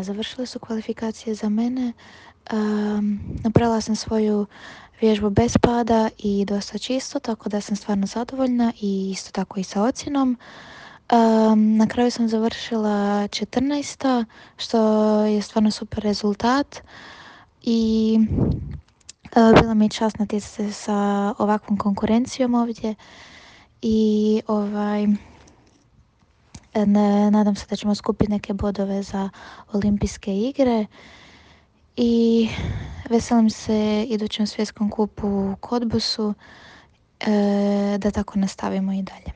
Završile su kvalifikacije za mene. Napravila sam svoju vježbu bez pada i dosta čisto, tako da sam stvarno zadovoljna i isto tako i sa ocjenom. Na kraju sam završila 14. što je stvarno super rezultat i bila mi je čast natjecati se sa ovakvom konkurencijom ovdje i nadam se da ćemo skupiti neke bodove za olimpijske igre i veselim se idućem svjetskom kupu u Kodbusu, da tako nastavimo i dalje.